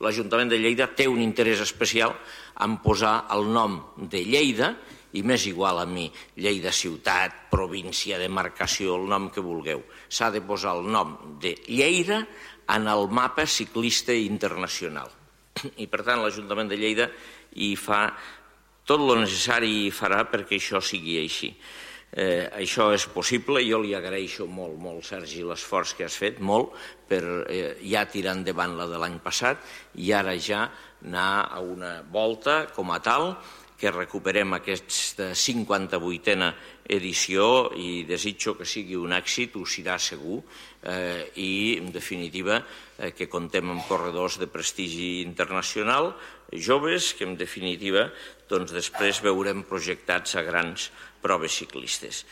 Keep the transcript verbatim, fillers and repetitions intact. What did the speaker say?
L'Ajuntament de Lleida té un interès especial en posar el nom de Lleida, i m'és igual a mi, Lleida ciutat, província, demarcació, el nom que vulgueu. S'ha de posar el nom de Lleida en el mapa ciclista internacional. I, per tant, l'Ajuntament de Lleida hi fa tot el necessari i farà perquè això sigui així. Eh, això és possible, jo li agraeixo molt, molt, Sergi, l'esforç que has fet, molt, per eh, ja tirar endavant la de l'any passat i ara ja anar a una volta com a tal, que recuperem aquesta cinquanta-vuitena edició i desitjo que sigui un èxit, ho serà segur, eh, i, en definitiva, eh, que contem amb corredors de prestigi internacional, joves, que, en definitiva, doncs després veurem projectats a grans proves ciclistes.